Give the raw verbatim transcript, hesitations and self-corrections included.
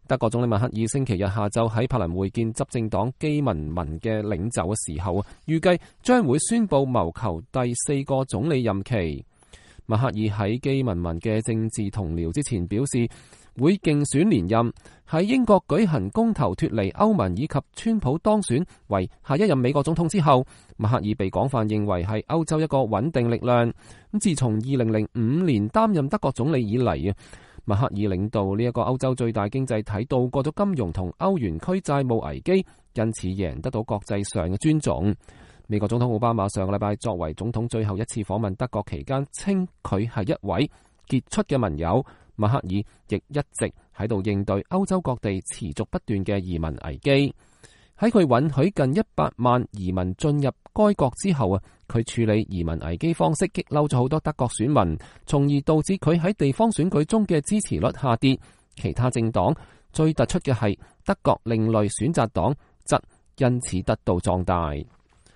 德國總理默克爾星期日下晝喺柏林會見執政黨基民盟嘅領袖嘅時候，預計將會宣布謀求第四個總理任期。默克爾喺基民盟嘅政治同僚之前表示，會競選連任。喺英國舉行公投脫離歐盟以及川普當選為下一任美國總統之後，默克爾被廣泛認為係歐洲一個穩定力量。咁自從二零零五年擔任德國總理以嚟，默克爾領導呢一個歐洲最大經濟體度過咗金融同歐元區債務危機，因此贏得到國際上嘅尊重。美國總統奧巴馬上個禮拜作為總統最後一次訪問德國期間，稱佢係一位傑出嘅盟友。默克爾亦一直喺度應對歐洲各地持續不斷嘅移民危機。喺佢允許近一百萬移民進入該國之後啊，佢處理移民危機方式激嬲咗好多德國選民，從而導致佢喺地方選舉中嘅支持率下跌。其他政黨最突出嘅係德國另類選擇黨，則因此得到壯大。